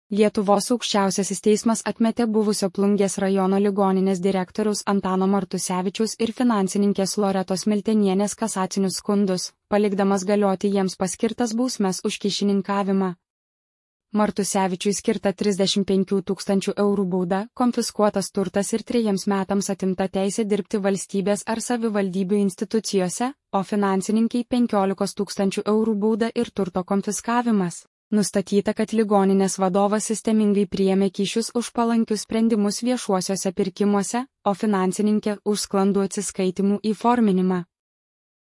Lietuvos aukščiausiasis teismas atmetė buvusio Plungės rajono ligoninės direktoriaus Antano Martusevičiaus ir finansininkės Loretos Miltenienės kasacinius skundus, palikdamas galioti jiems paskirtas bausmes už kyšininkavimą. Martusevičiui skirta 35 000 eurų bauda, konfiskuotas turtas ir 3 metams atimta teisė dirbti valstybės ar savivaldybių institucijose, o finansininkai 15 000 eurų bauda ir turto konfiskavimas. Nustatyta, kad ligoninės vadovas sistemingai priėmė kyšius už palankius sprendimus viešuosiuose pirkimuose, o finansininkė už sklandų atsiskaitimų įforminimą.